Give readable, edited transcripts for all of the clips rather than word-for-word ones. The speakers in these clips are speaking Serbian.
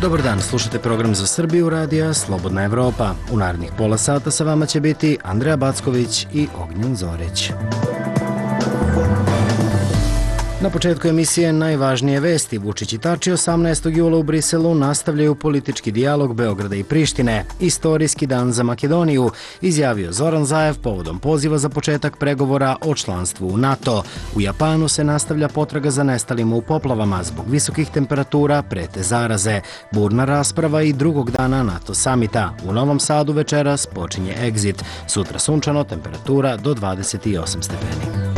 Dobar dan, slušate program za Srbiju radija Slobodna Evropa. U narednih pola sata sa vama će biti Andreja Backović i Ognjen Zorić. Na početku emisije najvažnije vesti. Vučić i Tači 18. jula u Briselu nastavljaju politički dijalog Beograda i Prištine. Istorijski dan za Makedoniju, izjavio Zoran Zaev povodom poziva za početak pregovora o članstvu u NATO. U Japanu se nastavlja potraga za nestalima u poplavama. Zbog visokih temperatura prete zaraze. Burna rasprava i drugog dana NATO samita. U Novom Sadu večeras počinje Exit. Sutra sunčano, temperatura do 28 stepeni.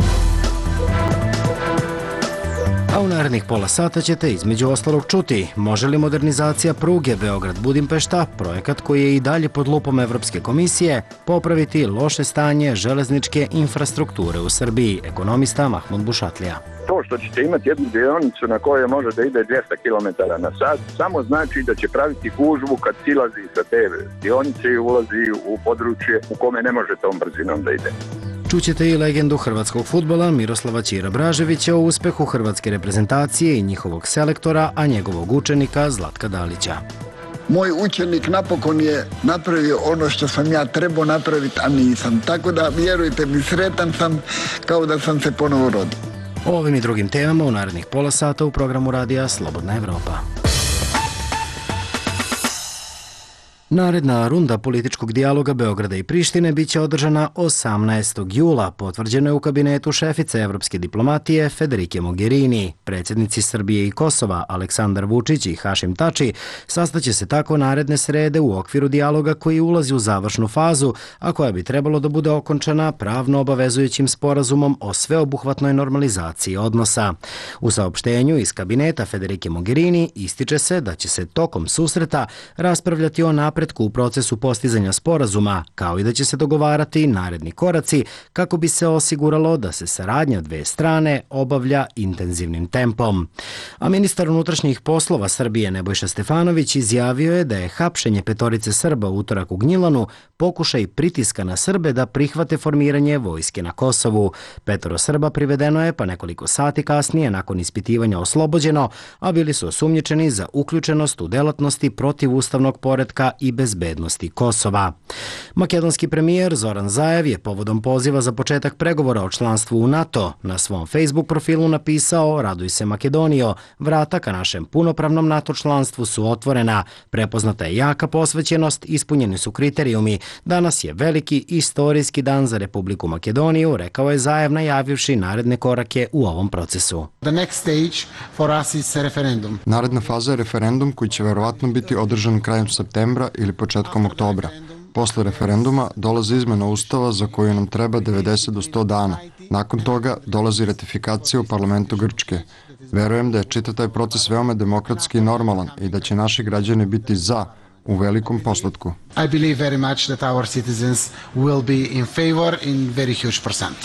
A u narednih pola sata ćete između ostalog čuti može li modernizacija pruge Beograd-Budimpešta, projekat koji je i dalje pod lupom Evropske komisije, popraviti loše stanje železničke infrastrukture u Srbiji, ekonomista Mahmud Bušatlija. To što ćete imati jednu dionicu na kojoj može da ide 200 km na sat, samo znači da će praviti gužvu kad silazi sa te dionice i ulazi u područje u kome ne može tom brzinom da ide. Čućete i legendu hrvatskog fudbala Miroslava Ćira Braževića o uspehu hrvatske reprezentacije i njihovog selektora, a njegovog učenika Zlatka Dalića. Moj učenik napokon je napravio ono što sam ja trebao napraviti, a nisam. Tako da, vjerujte mi, sretan sam kao da sam se ponovo rodio. O ovim i drugim temama u narednih pola sata u programu radija Slobodna Evropa. Naredna runda političkog dijaloga Beograda i Prištine biće održana 18. jula, potvrđeno je u kabinetu šefice evropske diplomatije Federike Mogherini. Predsjednici Srbije i Kosova Aleksandar Vučić i Hašim Tači sastaće se tako naredne srede u okviru dijaloga koji ulazi u završnu fazu, a koja bi trebalo da bude okončana pravno obavezujućim sporazumom o sveobuhvatnoj normalizaciji odnosa. U saopštenju iz kabineta Federike Mogherini ističe se da će se tokom susreta raspravljati o napretku u procesu postizanja sporazuma, kao i da će se dogovarati naredni koraci kako bi se osiguralo da se saradnja dve strane obavlja intenzivnim tempom. A ministar unutrašnjih poslova Srbije Nebojša Stefanović izjavio je da je hapšenje 5 Srba u utorak u Gnjilanu pokušaj pritiska na Srbe da prihvate formiranje vojske na Kosovu. 5 Srba privedeno je, pa nekoliko sati kasnije nakon ispitivanja oslobođeno, a bili su osumnjičeni za uključenost u delatnosti protiv ustavnog poretka i bezbednosti Kosova. Makedonski premijer Zoran Zaev je povodom poziva za početak pregovora o članstvu u NATO na svom Facebook profilu napisao: "Raduj se Makedonijo, vrata ka našem punopravnom NATO članstvu su otvorena, prepoznata je jaka posvećenost, ispunjeni su kriterijumi. Danas je veliki istorijski dan za Republiku Makedoniju", rekao je Zaev najavivši naredne korake u ovom procesu. Naredna faza je referendum koji će verovatno biti održan krajem septembra ili početkom oktobra. Posle referenduma dolazi izmena Ustava za koju nam treba 90 do 100 dana. Nakon toga dolazi ratifikacija u parlamentu Grčke. Verujem da je čitav taj proces veoma demokratski i normalan i da će naši građani biti za u velikom postotku. I believe very much that our citizens will be in favor in very huge percent.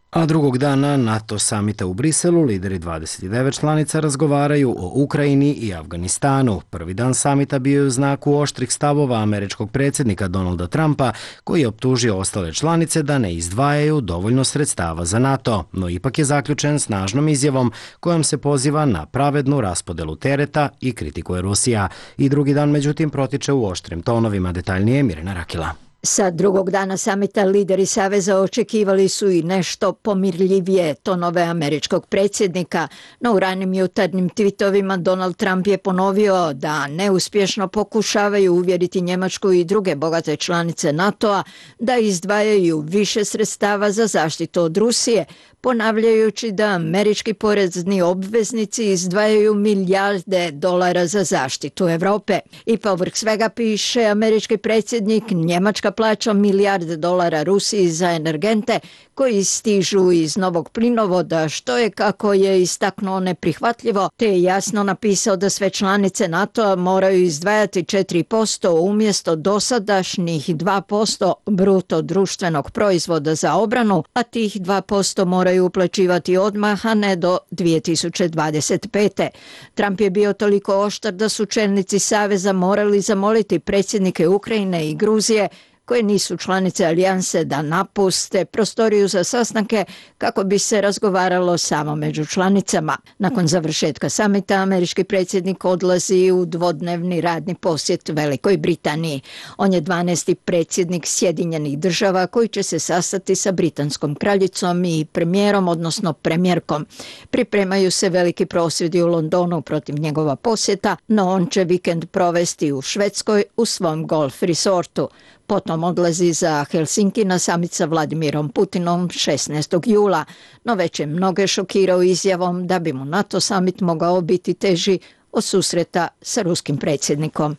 A drugog dana NATO samita u Briselu lideri 29 članica razgovaraju o Ukrajini i Afganistanu. Prvi dan samita bio je u znaku oštrih stavova američkog predsjednika Donalda Trumpa, koji je optužio ostale članice da ne izdvajaju dovoljno sredstava za NATO, no ipak je zaključen snažnom izjavom kojom se poziva na pravednu raspodelu tereta i kritikuje Rusija. I drugi dan međutim protiče u oštrim tonovima, detaljnije Mirjana Rakila. Sa drugog dana samita lideri Saveza očekivali su i nešto pomirljivije tonove američkog predsjednika, no u ranim jutarnjim tweetovima Donald Trump je ponovio da neuspješno pokušavaju uvjeriti Njemačku i druge bogate članice NATO-a da izdvajaju više sredstava za zaštitu od Rusije, ponavljajući da američki porezni obveznici izdvajaju milijarde dolara za zaštitu Evrope. I povrh svega, piše američki predsjednik, Njemačka plaća milijarde dolara Rusiji za energente koji stižu iz novog plinovoda, što je, kako je istaknuo, neprihvatljivo, te je jasno napisao da sve članice NATO-a moraju izdvajati 4% umjesto dosadašnjih 2% bruto društvenog proizvoda za obranu, a tih 2% moraju uplaćivati odmah, a ne do 2025. Trump je bio toliko oštar da su čelnici Saveza morali zamoliti predsjednike Ukrajine i Gruzije koje nisu članice alijanse da napuste prostoriju za sastanke kako bi se razgovaralo samo među članicama. Nakon završetka samita, američki predsjednik odlazi u dvodnevni radni posjet Velikoj Britaniji. On je 12. predsjednik Sjedinjenih država koji će se sastati sa britanskom kraljicom i premijerom, odnosno premijerkom. Pripremaju se veliki prosvjedi u Londonu protiv njegova posjeta, no on će vikend provesti u Švedskoj u svom golf resortu. Potom odlazi za Helsinki na samit sa Vladimirom Putinom 16. jula, no već je mnoge šokirao izjavom da bi mu NATO samit mogao biti teži od susreta sa ruskim predsjednikom.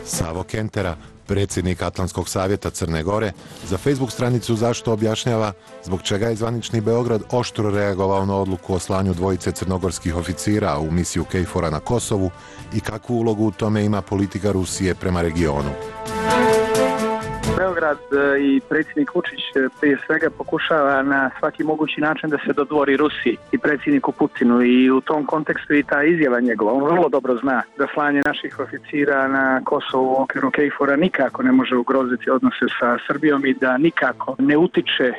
Savo Kentera, predsjednik Atlantskog savjeta Crne Gore, za Facebook stranicu Zašto objašnjava zbog čega je zvanični Beograd oštro reagovao na odluku o slanju dvojice crnogorskih oficira u misiju KFOR-a na Kosovu i kakvu ulogu u tome ima politika Rusije prema regionu. Beograd i predsjednik Vučić prije svega pokušava na svaki mogući način da se dodvori Rusiji i predsjedniku Putinu i u tom kontekstu i ta izjava njegova. On vrlo dobro zna da slanje naših oficira na Kosovu u okviru KFOR-a nikako ne može ugroziti odnose sa Srbijom i da nikako ne utiče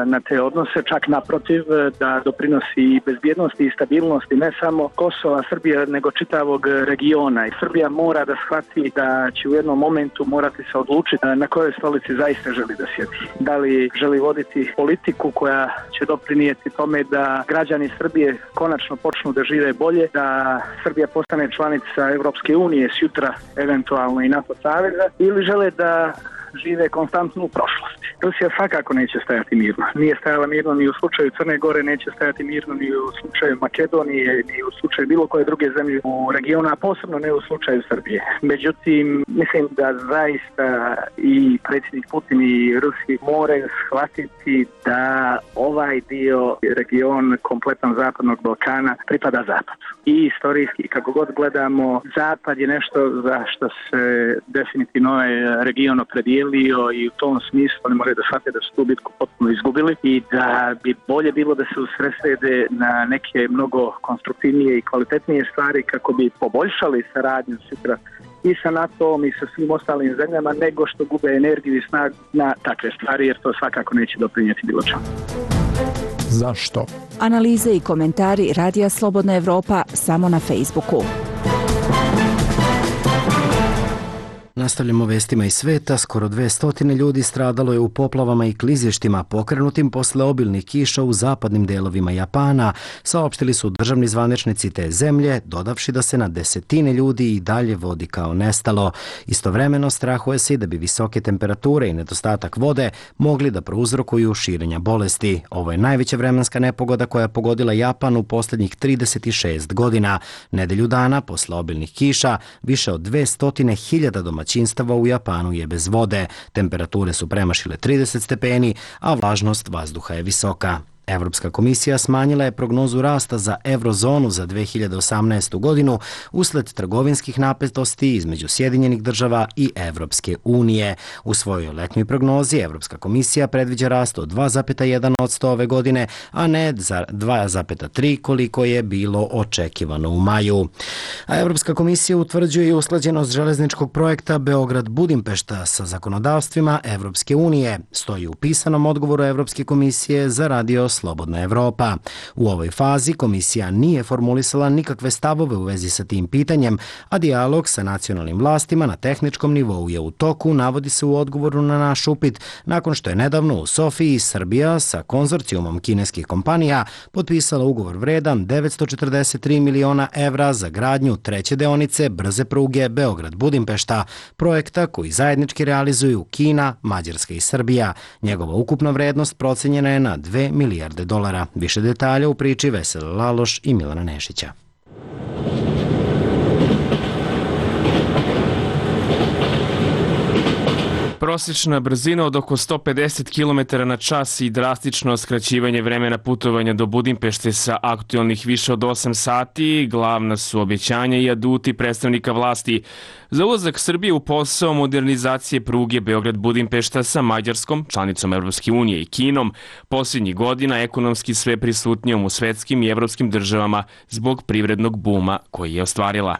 na te odnose, čak naprotiv da doprinosi i bezbjednosti i stabilnosti ne samo Kosova, Srbije, nego čitavog regiona. I Srbija mora da shvati da će u jednom momentu morati se odlučiti na kojoj stolici zaista želi da sjedi. Da li želi voditi politiku koja će doprinijeti tome da građani Srbije konačno počnu da žive bolje, da Srbija postane članica Evropske unije sutra, eventualno i NATO saveza, ili žele da žive konstantno u prošlosti. Rusija svakako neće stajati mirno. Nije stajala mirno ni u slučaju Crne Gore, neće stajati mirno ni u slučaju Makedonije, ni u slučaju bilo koje druge zemlje u regionu, a posebno ne u slučaju Srbije. Međutim, mislim da zaista i predsjednik Putin i Rusi moraju shvatiti da ovaj dio region, kompletan zapadnog Balkana, pripada Zapadu. I istorijski, kako god gledamo, Zapad je nešto za što se definitivno ovaj region opredijelio i u tom smislu oni moraju da shvate da su tu bitku potpuno izgubili i da bi bolje bilo da se usredsrede na neke mnogo konstruktivnije i kvalitetnije stvari kako bi poboljšali saradnju sutra i sa NATO-om i sa svim ostalim zemljama, nego što gube energiju i snagu na takve stvari, jer to svakako neće doprinijeti bilo čemu. Zašto? Analize i komentari Radija Slobodna Evropa samo na Facebooku. Nastavljamo vestima iz sveta. Skoro 200 ljudi stradalo je u poplavama i klizištima pokrenutim posle obilnih kiša u zapadnim delovima Japana, saopštili su državni zvaničnici te zemlje, dodavši da se na desetine ljudi i dalje vodi kao nestalo. Istovremeno strahuje se da bi visoke temperature i nedostatak vode mogli da prouzrokuju širenja bolesti. Ovo je najveća vremenska nepogoda koja je pogodila Japan u posljednjih 36 godina. Nedelju dana posle obilnih kiša više od 200.000 domaćinstava u Japanu je bez vode. Temperature su premašile 30 stepeni, a vlažnost vazduha je visoka. Evropska komisija smanjila je prognozu rasta za eurozonu za 2018. godinu usled trgovinskih napetosti između Sjedinjenih država i Evropske unije. U svojoj letnjoj prognozi Evropska komisija predviđa rast od 2,1% ove godine, a ne za 2,3% koliko je bilo očekivano u maju. A Evropska komisija utvrđuje i usklađenost železničkog projekta Beograd-Budimpešta sa zakonodavstvima Evropske unije, stoji u pisanom odgovoru Evropske komisije za Radio Slobodna Evropa. U ovoj fazi komisija nije formulisala nikakve stavove u vezi sa tim pitanjem, a dijalog sa nacionalnim vlastima na tehničkom nivou je u toku, navodi se u odgovoru na naš upit, nakon što je nedavno u Sofiji Srbija sa konzorcijumom kineskih kompanija potpisala ugovor vredan 943 miliona evra za gradnju treće deonice brze pruge Beograd-Budimpešta, projekta koji zajednički realizuju Kina, Mađarska i Srbija. Njegova ukupna vrednost procenjena je na $2 milijarde. Više detalja u priči Vesele Laloš i Milana Nešića. Prosječna brzina od oko 150 km na čas i drastično skraćivanje vremena putovanja do Budimpešte sa aktualnih više od 8 sati, glavna su obećanja i aduti predstavnika vlasti za ulazak Srbije u posao modernizacije pruge Beograd-Budimpešta sa Mađarskom, članicom Evropske unije i Kinom, posljednjih godina ekonomski sve prisutnijom u svetskim i evropskim državama zbog privrednog buma koji je ostvarila.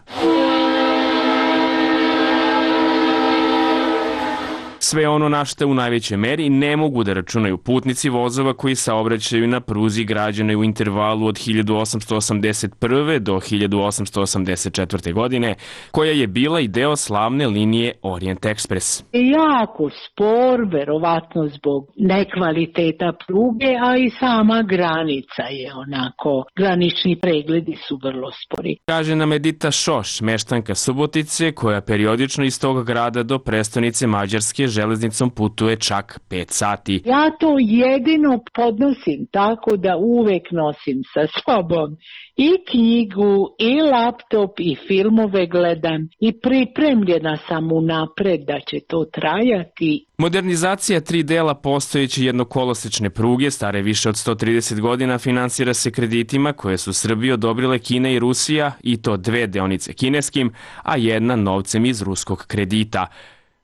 Sve ono na što u najvećoj meri ne mogu da računaju putnici vozova koji saobraćaju na pruzi građenoj u intervalu od 1881. do 1884. godine, koja je bila i deo slavne linije Orient Express. Jako spor, verovatno zbog nekvaliteta pruge, a i sama granica je onako, granični pregledi su vrlo spori. Kaže nam Edita Šoš, meštanka Subotice, koja periodično iz tog grada do prestonice Mađarske železnicom putuje čak 5 sati. Ja to jedino podnosim tako da uvek nosim sa sobom i knjigu, i laptop, i filmove gledam i pripremljena sam unapred da će to trajati. Modernizacija 3 dela postojeće jednokolosečne pruge, stare više od 130 godina, finansira se kreditima koje su Srbiji odobrile Kina i Rusija, i to 2 deonice kineskim, a 1 novcem iz ruskog kredita.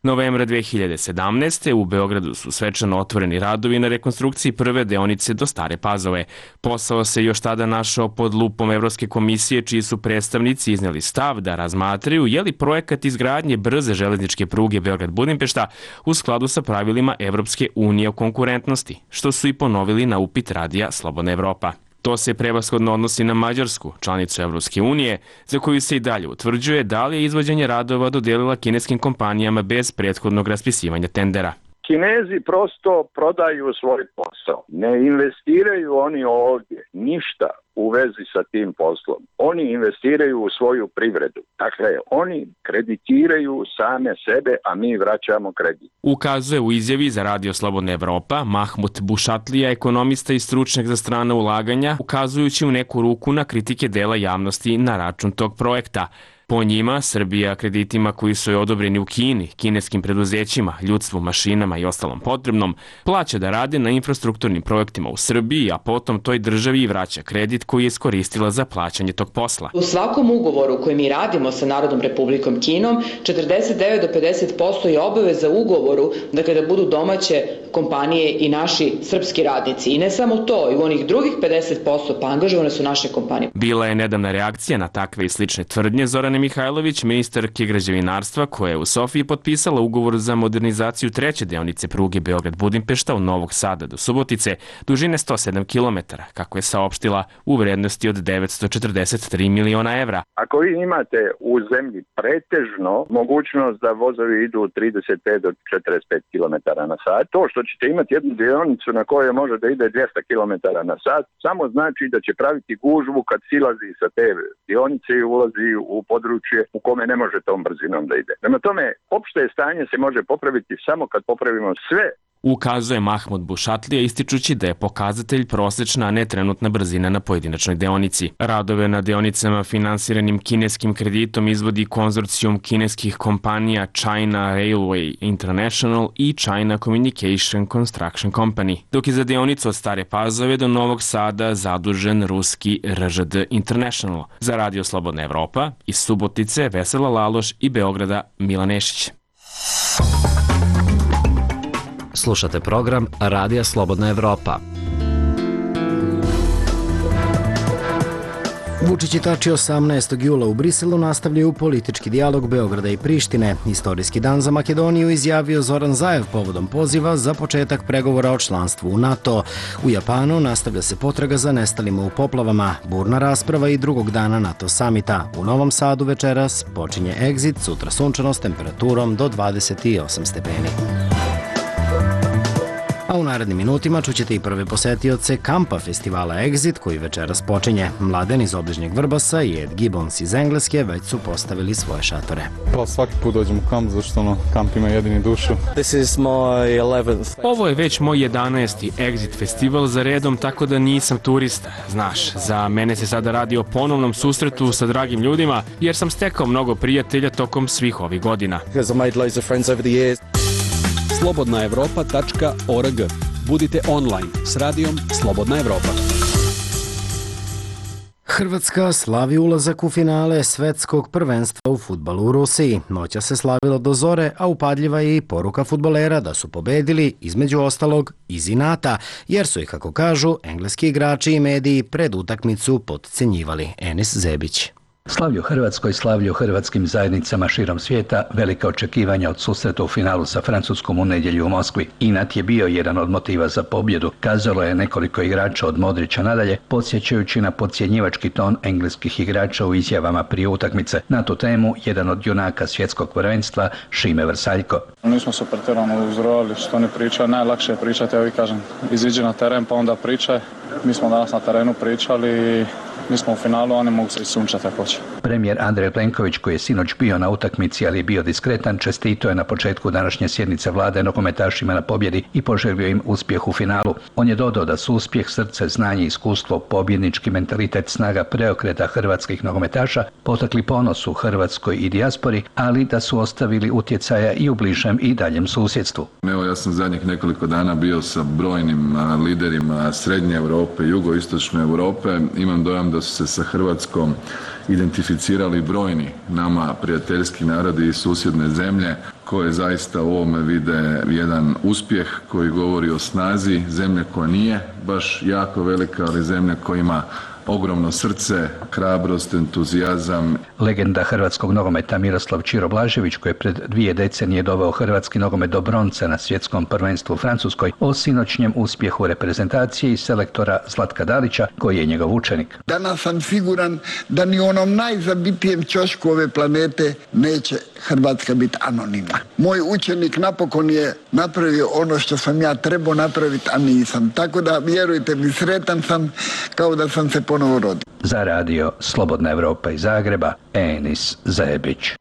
Novembra 2017. u Beogradu su svečano otvoreni radovi na rekonstrukciji prve deonice do Stare Pazove. Posao se još tada našao pod lupom Evropske komisije, čiji su predstavnici izneli stav da razmatraju je li projekat izgradnje brze železničke pruge Beograd-Budimpešta u skladu sa pravilima Evropske unije o konkurentnosti, što su i ponovili na upit radija Slobodna Evropa. To se prevashodno odnosi na Mađarsku, članicu Evropske unije, za koju se i dalje utvrđuje da li je izvođenje radova dodelila kineskim kompanijama bez prethodnog raspisivanja tendera. Kinezi prosto prodaju svoj posao. Ne investiraju oni ovdje ništa u vezi sa tim poslom. Oni investiraju u svoju privredu. Dakle, oni kreditiraju same sebe, a mi vraćamo kredit. Ukazuje u izjavi za Radio Slobodna Evropa Mahmut Bušatlija, ekonomista i stručnjak za strana ulaganja, ukazujući u neku ruku na kritike dela javnosti na račun tog projekta. Po njima, Srbija kreditima koji su joj odobreni u Kini, kineskim preduzećima, ljudstvu, mašinama i ostalom potrebnom, plaća da rade na infrastrukturnim projektima u Srbiji, a potom toj državi i vraća kredit koji je iskoristila za plaćanje tog posla. U svakom ugovoru koji mi radimo sa Narodnom Republikom Kinom, 49 do 50% je obaveza ugovoru, dakle da budu domaće kompanije i naši srpski radnici. I ne samo to, i u onih drugih 50% pa angažovane su naše kompanije. Bila je nedavna reakcija na takve i slične tvrdnje Zorane Mihajlović, ministarke građevinarstva, koja je u Sofiji potpisala ugovor za modernizaciju 3. deonice pruge Beograd-Budimpešta od Novog Sada do Subotice, dužine 107 km, kako je saopštila, u vrednosti od 943 miliona evra. Ako vi imate u zemlji pretežno mogućnost da vozovi idu 35 do 45 km na sat, to što ćete imati jednu dionicu na kojoj može da ide 200 km na sat, samo znači da će praviti gužvu kad silazi sa te dionice i ulazi u područje u kome ne može tom brzinom da ide. Prema tome, opšte stanje se može popraviti samo kad popravimo sve. Ukazuje Mahmut Bušatlija, ističući da je pokazatelj prosečna, a ne trenutna brzina na pojedinačnoj deonici. Radove na deonicama finansiranim kineskim kreditom izvodi konzorcijum kineskih kompanija China Railway International i China Communication Construction Company, dok je za deonicu od Stare Pazove do Novog Sada zadužen ruski RŽD International. Za Radio Slobodna Evropa, iz Subotice Vesela Laloš i Beograda Milan Nešić. Slušate program Radija Slobodna Evropa. Vučić i Tači 18. jula u Briselu nastavljaju politički dijalog Beograda i Prištine. Istorijski dan za Makedoniju izjavio Zoran Zaev povodom poziva za početak pregovora o članstvu u NATO. U Japanu nastavlja se potraga za nestalima u poplavama, burna rasprava i drugog dana NATO samita. U Novom Sadu večeras počinje Exit, sutra sunčano s temperaturom do 28 stepeni. A u narednim minutima čućete i prve posetioce kampa festivala Exit, koji večeras počinje. Mladen iz obližnjeg Vrbasa i Ed Gibbons iz Engleske već su postavili svoje šatore. Pa svaki put dođem u kamp, zašto kamp ima jedini dušu. Ovo je već moj 11. Exit festival za redom, tako da nisam turista. Znaš, za mene se sada radi o ponovnom susretu sa dragim ljudima, jer sam stekao mnogo prijatelja tokom svih ovih godina. slobodnaevropa.org. Budite online s radijom Slobodna Evropa. Hrvatska slavi ulazak u finale svetskog prvenstva u fudbalu u Rusiji. Noća se slavilo do zore, a upadljiva je i poruka fudbalera da su pobedili, između ostalog, iz inata, jer su ih, kako kažu, engleski igrači i mediji pred utakmicu potcenjivali. Enis Zebić. Slavlje u Hrvatskoj, slavlje u hrvatskim zajednicama širom svijeta, velika očekivanja od susreta u finalu sa Francuskom u nedjelju u Moskvi. Inat je bio jedan od motiva za pobjedu, kazalo je nekoliko igrača od Modrića nadalje, podsjećajući na podcjenjivački ton engleskih igrača u izjavama prije utakmice. Na tu temu jedan od junaka svjetskog prvenstva, Šime Vrsaljko. Nismo se pretjerano uzrojali što ne priča, najlakše je pričati, ja vi kažem, iziđi na teren pa onda pričaj. Mi smo danas na terenu pričali, mi smo u finalu, oni mogu se i sunčati ako hoće. Premijer Andrej Plenković, koji je sinoć bio na utakmici, ali je bio diskretan, čestitao je na početku današnje sjednice vlade nogometašima na pobjedi i poželio im uspjeh u finalu. On je dodao da su uspjeh, srce, znanje, iskustvo, pobjednički mentalitet, snaga preokreta hrvatskih nogometaša potakli ponos u Hrvatskoj i dijaspori, ali da su ostavili utjecaja i u bližem i daljem susjedstvu. Evo, ja sam zadnjih nekoliko dana bio sa brojnim liderima Srednje Europe, Jugoistočne Europe. Imam dojam da su se sa Hrvatskom identificirali brojni nama prijateljski narodi i susjedne zemlje koje zaista u ovome vide jedan uspjeh koji govori o snazi zemlje koja nije baš jako velika, ali zemlja koja ima ogromno srce, hrabrost, entuzijazam. Legenda hrvatskog nogometa Miroslav Ćiro Blažević, koji je pred 2 decenije doveo hrvatski nogomet do bronce na svjetskom prvenstvu u Francuskoj, o sinoćnjem uspjehu reprezentacije i selektora Zlatka Dalića, koji je njegov učenik. Danas sam siguran da ni u onom najzabitijem ćošku ove planete neće Hrvatska biti anonimna. Moj učenik napokon je napravio ono što sam ja trebao napraviti, a nisam. Tako da, vjerujte mi, sretan sam kao da sam se ponovo rodio. Za radio Slobodna Evropa iz Zagreba, Enis Zebić.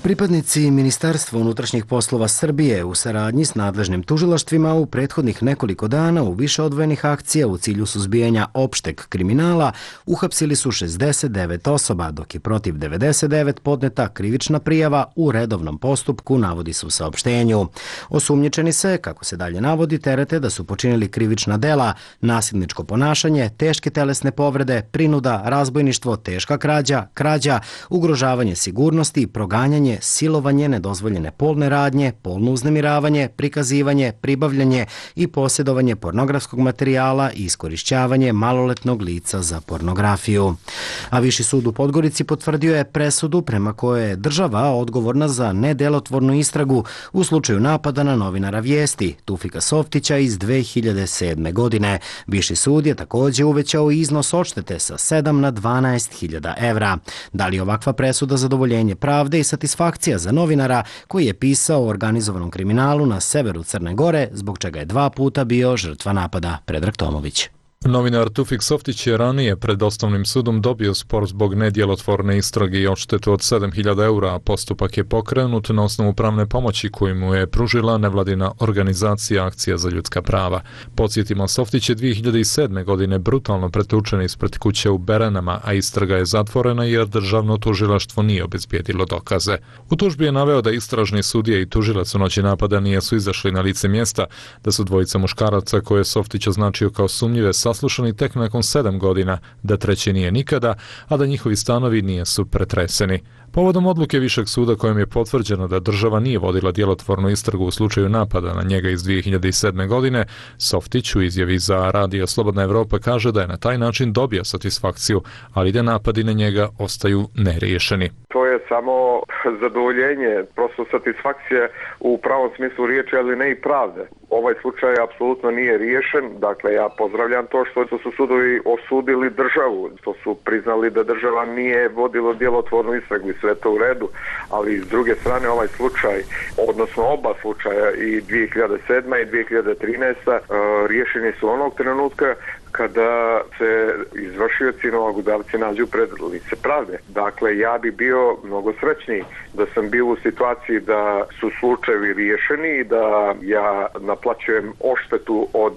Pripadnici Ministarstva unutrašnjih poslova Srbije u saradnji s nadležnim tužilaštvima u prethodnih nekoliko dana u više odvojenih akcija u cilju suzbijanja opšteg kriminala uhapsili su 69 osoba, dok je protiv 99 podneta krivična prijava u redovnom postupku, navodi se u saopštenju. Osumnjičeni se, kako se dalje navodi, terete da su počinili krivična dela, nasilničko ponašanje, teške telesne povrede, prinuda, razbojništvo, teška krađa, ugrožavanje sigurnosti, proganjanje, silovanje, nedozvoljene polne radnje, polno uznemiravanje, prikazivanje, pribavljanje i posjedovanje pornografskog materijala i iskorišćavanje maloletnog lica za pornografiju. A Viši sud u Podgorici potvrdio je presudu prema kojoj je država odgovorna za nedelotvornu istragu u slučaju napada na novinara Vijesti, Tufika Softića iz 2007. godine. Viši sud je također uvećao iznos odštete sa 7 na 12.000 evra. Da li je ovakva presuda zadovoljenje pravde i satisfakcija za novinara koji je pisao o organizovanom kriminalu na severu Crne Gore, zbog čega je 2 puta bio žrtva napada? Predrag Tomović. Novinar Tufik Softić je ranije pred osnovnim sudom dobio spor zbog nedjelotvorne istrage i odštetu od 7.000 eura, a postupak je pokrenut na osnovu pravne pomoći koju mu je pružila nevladina organizacija Akcija za ljudska prava. Podsjetimo, Softić je 2007. godine brutalno pretučen ispred kuće u Berenama, a istraga je zatvorena jer državno tužilaštvo nije obezbijedilo dokaze. U tužbi je naveo da istražni sudije i tužilac u noći napada nisu izašli na lice mjesta, da su dvojica muškaraca koje je Softić označio kao sumnjive saslušani tek nakon 7 godina, da treći nije nikada, a da njihovi stanovi nisu pretreseni. Povodom odluke Višeg suda kojom je potvrđeno da država nije vodila djelotvornu istragu u slučaju napada na njega iz 2007. godine, Softić u izjavi za radio Slobodna Evropa kaže da je na taj način dobio satisfakciju, ali da napadi na njega ostaju neriješeni. To je samo zadovoljenje, prosto satisfakcije u pravom smislu riječi, ali ne i pravde. Ovaj slučaj apsolutno nije riješen, dakle ja pozdravljam to što su sudovi osudili državu, što su priznali da država nije vodila djelotvornu istragu i sve to u redu, ali s druge strane ovaj slučaj, odnosno oba slučaja i 2007. i 2013. Riješeni su onog trenutka kada se izvršioci nalogodavci nađu pred lice pravde. Dakle, ja bi bio mnogo srećniji da sam bio u situaciji da su slučajevi riješeni i da ja naplaćujem odštetu od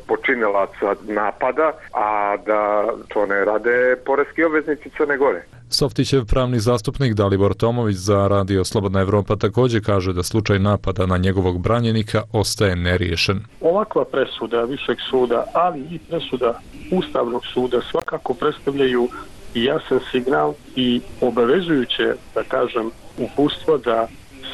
počinilaca napada, a da to ne rade poreski obveznici Crne Gore. Softićev pravni zastupnik Dalibor Tomović za radio Slobodna Evropa također kaže da slučaj napada na njegovog branjenika ostaje neriješen. Ovakva presuda Višeg suda, ali i presuda Ustavnog suda svakako predstavljaju jasan signal i obavezujuće, da kažem, uputstvo da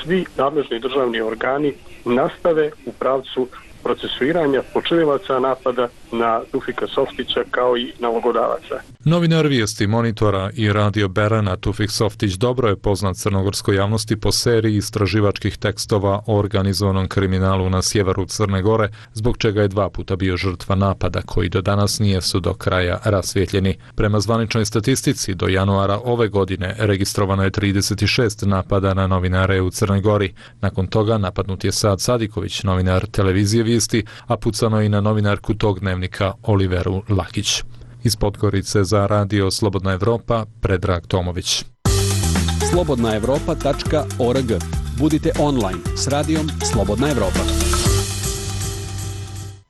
svi nadležni državni organi nastave u pravcu procesuiranja počinilaca napada na Tufika Softića kao i nalogodavaca. Novinar vijesti Monitora i Radio Berana Tufik Softić dobro je poznat crnogorskoj javnosti po seriji istraživačkih tekstova o organizovanom kriminalu na sjeveru Crne Gore, zbog čega je 2 puta bio žrtva napada koji do danas nisu do kraja rasvjetljeni. Prema zvaničnoj statistici, do januara ove godine registrovano je 36 napada na novinare u Crnoj Gori. Nakon toga napadnut je Sad Sadiković, novinar televizije Vijesti, a pucano i na novinarku tog dnevnika Oliveru Lakić. Iz Podgorice za Radio Slobodna Evropa, Predrag Tomović. slobodnaevropa.org. Budite online s radijom Slobodna Evropa.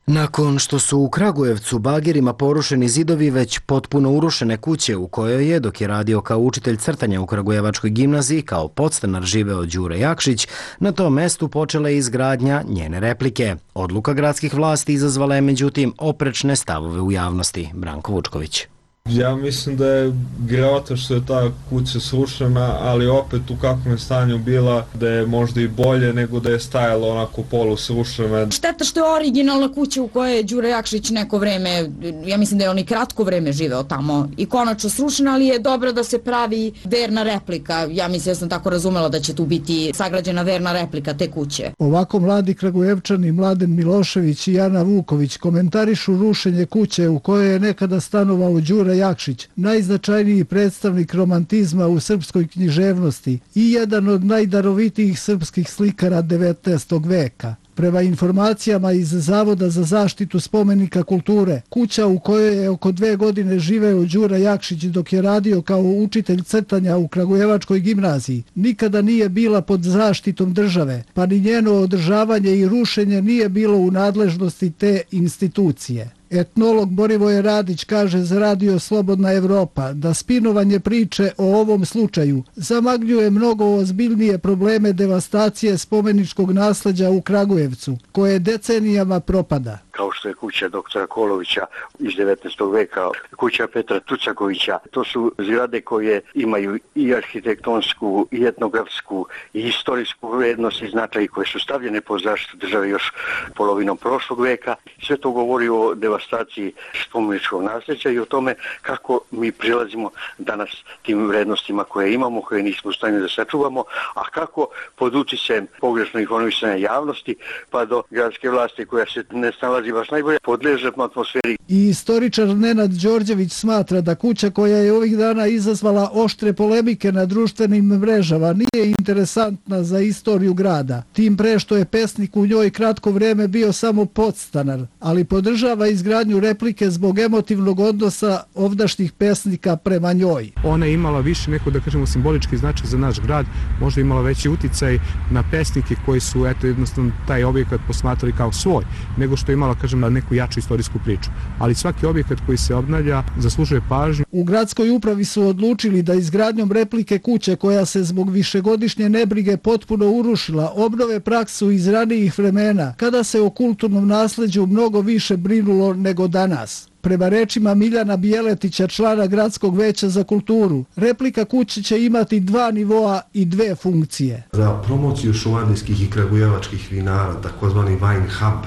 Nakon što su u Kragujevcu bagerima porušeni zidovi već potpuno urušene kuće u kojoj je, dok je radio kao učitelj crtanja u Kragujevačkoj gimnaziji, kao podstanar živeo Đure Jakšić, na tom mestu počela je izgradnja njene replike. Odluka gradskih vlasti izazvala je međutim oprečne stavove u javnosti. Branko Vučković. Ja mislim da je grota što je ta kuća srušena, ali opet u kakvom je stanju bila, da je možda i bolje nego da je stajala onako polu srušena. Šteta što je originalna kuća u kojoj je Đure Jakšić neko vreme, ja mislim da je on i kratko vreme živeo tamo, i konačno srušena, ali je dobro da se pravi verna replika. Ja mislim da sam tako razumela da će tu biti sagrađena verna replika te kuće. Ovako mladi Kragujevčani Mladen Milošević i Jana Vuković komentarišu rušenje kuće u kojoj je nekada stanovao Đure Jakšić, najznačajniji predstavnik romantizma u srpskoj književnosti i jedan od najdarovitijih srpskih slikara 19. veka. Prema informacijama iz Zavoda za zaštitu spomenika kulture, kuća u kojoj je oko 2 godine živeo Đura Jakšić dok je radio kao učitelj crtanja u Kragujevačkoj gimnaziji, nikada nije bila pod zaštitom države, pa ni njeno održavanje i rušenje nije bilo u nadležnosti te institucije. Etnolog Borivoje Radić kaže za Radio Slobodna Evropa da spinovanje priče o ovom slučaju zamagljuje mnogo ozbiljnije probleme devastacije spomeničkog nasleđa u Kragujevcu, koje decenijama propada. Kao što je kuća doktora Kolovića iz 19. veka, kuća Petra Tucakovića. To su zgrade koje imaju i arhitektonsku, i etnografsku, i istorijsku vrednost i značaj, koje su stavljene pod zaštitu države još polovinom prošlog veka. Sve to govori o devastaciji spomeničkog nasljeđa i o tome kako mi prilazimo danas tim vrednostima koje imamo, koje nismo u stanju da sačuvamo, a kako pod uticajem pogrešno informisanja javnosti pa do gradske vlasti koja se ne snalazi baš najbolje, podleže atmosferi. I istoričar Nenad Đorđević smatra da kuća koja je ovih dana izazvala oštre polemike na društvenim mrežama nije interesantna za istoriju grada. Tim pre što je pesnik u njoj kratko vreme bio samo podstanar, ali podržava izgradnju replike zbog emotivnog odnosa ovdašnjih pesnika prema njoj. Ona je imala više neko, da kažemo, simbolički značaj za naš grad, možda imala veći uticaj na pesnike koji su jednostavno taj objekat posmatrali kao svoj, nego što je imala, kažem, na neku jaču istorijsku priču. Ali svaki objekat koji se obnavlja zaslužuje pažnju. U gradskoj upravi su odlučili da izgradnjom replike kuće koja se zbog višegodišnje nebrige potpuno urušila obnove praksu iz ranijih vremena, kada se o kulturnom nasleđu mnogo više brinulo nego danas. Prema rečima Miljana Bijeletića, člana Gradskog veća za kulturu, replika kuće će imati 2 nivoa i 2 funkcije. Za promociju šumadijskih i kragujevačkih vinara, takozvani wine hub,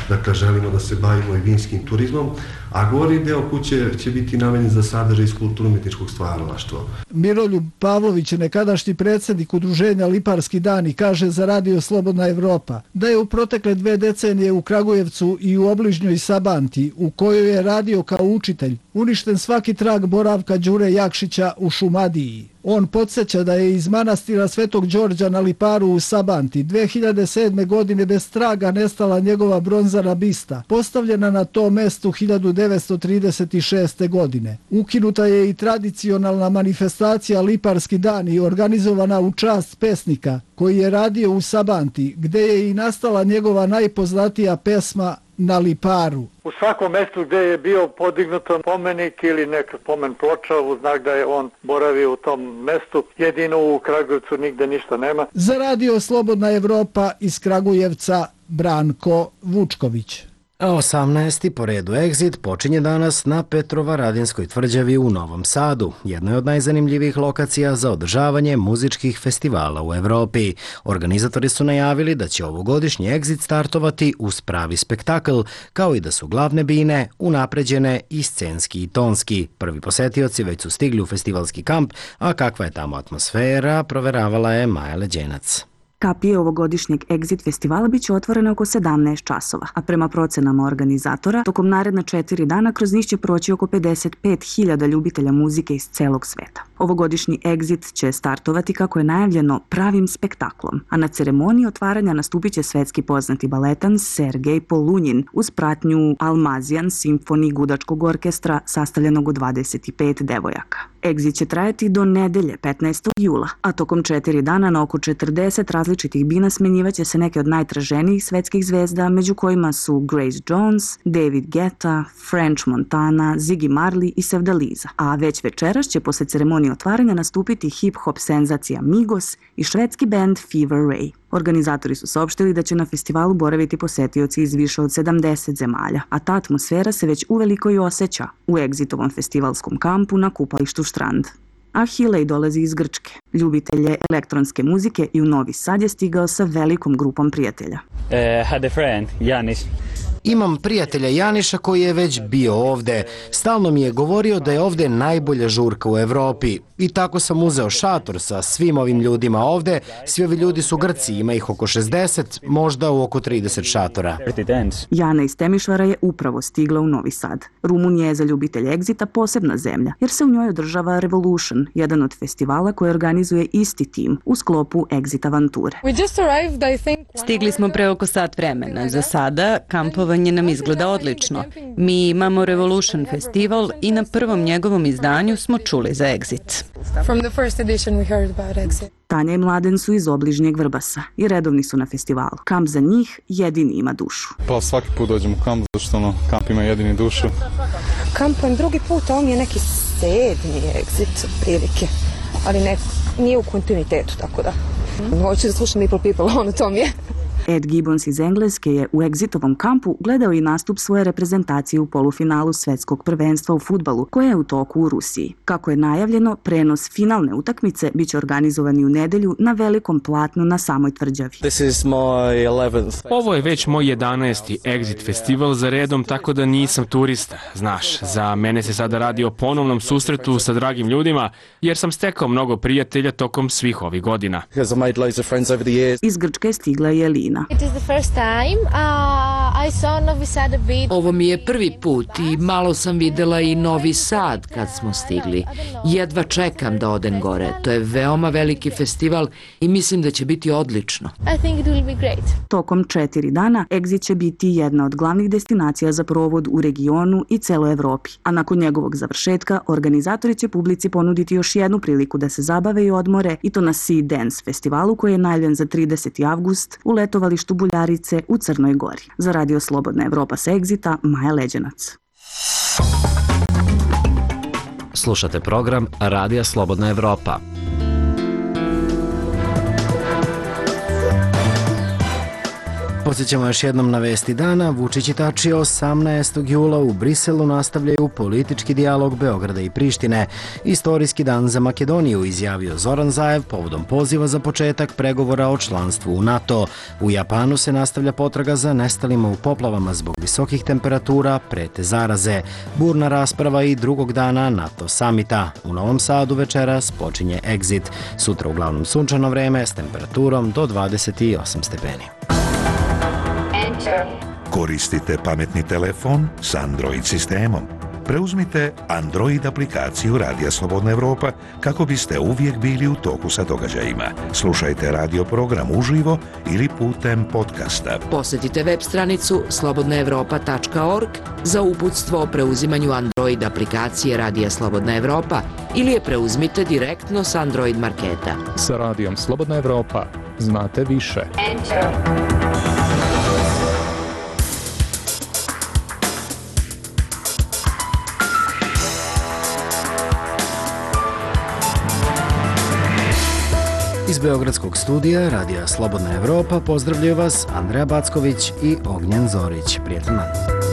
dakle želimo da se bavimo i vinskim turizmom, a gornji deo kuće će biti namenjen za sadržaj iz kulturno-umetničkog stvaralaštva. Miroljub Pavlović, nekadašnji predsjednik udruženja Liparski dani, kaže za Radio Slobodna Evropa da je u protekle 2 decenije u Kragujevcu i u obližnjoj Sabanti, u kojoj je radio kao učitelj, uništen svaki trag boravka Đure Jakšića u Šumadiji. On podsjeća da je iz manastira Svetog Đorđa na Liparu u Sabanti 2007. godine bez traga nestala njegova bronzana bista, postavljena na tom mestu 1936. godine. Ukinuta je i tradicionalna manifestacija Liparski dani, organizovana u čast pesnika, koji je radio u Sabanti, gde je i nastala njegova najpoznatija pesma Na Liparu. U svakom mjestu gdje je bio podignut spomenik ili neka spomen ploča u znak da je on boravio u tom mjestu, jedino u Kragujevcu nigde ništa nema. Za Radio Slobodna Evropa iz Kragujevca, Branko Vučković. 18. po redu Exit počinje danas na Petrovaradinskoj tvrđavi u Novom Sadu, jednoj od najzanimljivijih lokacija za održavanje muzičkih festivala u Evropi. Organizatori su najavili da će ovogodišnji Exit startovati uz pravi spektakl, kao i da su glavne bine unapređene i scenski i tonski. Prvi posetioci već su stigli u festivalski kamp, a kakva je tamo atmosfera, proveravala je Maja Leđenac. Kapije ovogodišnjeg Exit festivala biće otvorene oko 17 časova, a prema procenama organizatora, tokom naredna 4 dana kroz njih će proći oko 55.000 ljubitelja muzike iz celog sveta. Ovogodišnji Exit će startovati, kako je najavljeno, pravim spektaklom, a na ceremoniji otvaranja nastupit će svetski poznati baletan Sergej Polunjin uz pratnju Almazijan Symphony gudačkog orkestra sastavljenog od 25 devojaka. Exit će trajati do nedelje 15. jula, a tokom 4 dana na oko 40 različitih bina smenjivaće se neke od najtraženijih svetskih zvezda, među kojima su Grace Jones, David Guetta, French Montana, Ziggy Marley i Sevdaliza. A već večeras će posle ceremonije otvaranja nastupiti hip-hop senzacija Migos i švedski band Fever Ray. Organizatori su saopštili da će na festivalu boraviti posetioci iz više od 70 zemalja, a ta atmosfera se već uveliko i osjeća u Exitovom festivalskom kampu na kupalištu Štrand. Ahilej dolazi iz Grčke. Ljubitelj je elektronske muzike i u Novi Sad je stigao sa velikom grupom prijatelja. Had a friend, Janis. Imam prijatelja Janiša koji je već bio ovde. Stalno mi je govorio da je ovde najbolja žurka u Evropi. I tako sam uzeo šator sa svim ovim ljudima ovde. Svi ovi ljudi su Grci, ima ih oko 60, možda u oko 30 šatora. Jana iz Temišvara je upravo stigla u Novi Sad. Rumunija je za ljubitelje Exita posebna zemlja, jer se u njoj održava Revolution, jedan od festivala koje organizuje isti tim u sklopu Exit avanture. Stigli smo pre oko sat vremena. Za sada kampovanje nam izgleda odlično. Mi imamo Revolution festival i na prvom njegovom izdanju smo čuli za Exit. Tanja i Mladen su iz obližnjeg Vrbasa i redovni su na festivalu. Kamp za njih jedini ima dušu. Pa svaki put dođem u kamp, zašto kamp ima jedini dušu. Kampujem drugi put, a on je neki 7. Exit prilike, ali nije u kontinuitetu, tako da. Hoću da slušam Little People, to mi je. Ed Gibbons iz Engleske je u Exitovom kampu gledao i nastup svoje reprezentacije u polufinalu svetskog prvenstva u fudbalu, koje je u toku u Rusiji. Kako je najavljeno, prenos finalne utakmice biće organizovani u nedelju na velikom platnu na samoj tvrđavi. Ovo je već moj 11. Exit festival za redom, tako da nisam turista. Znaš, za mene se sada radi o ponovnom susretu sa dragim ljudima, jer sam stekao mnogo prijatelja tokom svih ovih godina. Iz Grčke stigla je Elina. Ovo mi je prvi put i malo sam videla i Novi Sad kad smo stigli. Jedva čekam da odem gore. To je veoma veliki festival i mislim da će biti odlično. Tokom 4 dana Exit će biti jedna od glavnih destinacija za provod u regionu i celoj Evropi. A nakon njegovog završetka, organizatori će publici ponuditi još jednu priliku da se zabave i odmore, i to na Sea Dance festivalu koji je najavljen za 30. avgust u letovalištu Buljarice u Crnoj Gori. Za Radio Slobodna Evropa sa Exita, Maja Leđenac. Slušate program Radija Slobodna Evropa. Podsjećamo još jednom na vesti dana. Vučić i Tači 18. jula u Briselu nastavljaju politički dijalog Beograda i Prištine. Istorijski dan za Makedoniju, izjavio Zoran Zaev povodom poziva za početak pregovora o članstvu u NATO. U Japanu se nastavlja potraga za nestalima u poplavama zbog visokih temperatura, prete zaraze. Burna rasprava i drugog dana NATO samita. U Novom Sadu večeras počinje Exit. Sutra uglavnom sunčano vreme s temperaturom do 28 stepeni. Koristite pametni telefon s Android sistemom. Preuzmite Android aplikaciju Radija Slobodna Evropa kako biste uvijek bili u toku sa događajima. Slušajte radio program uživo ili putem podcasta. Posjetite web stranicu slobodnaevropa.org za uputstvo o preuzimanju Android aplikacije Radija Slobodna Evropa ili je preuzmite direktno s Android marketa. Sa Radijom Slobodna Evropa znate više. Iz Beogradskog studija Radija Slobodna Evropa pozdravljaju vas Andreja Backović i Ognjen Zorić. Prijetan dan.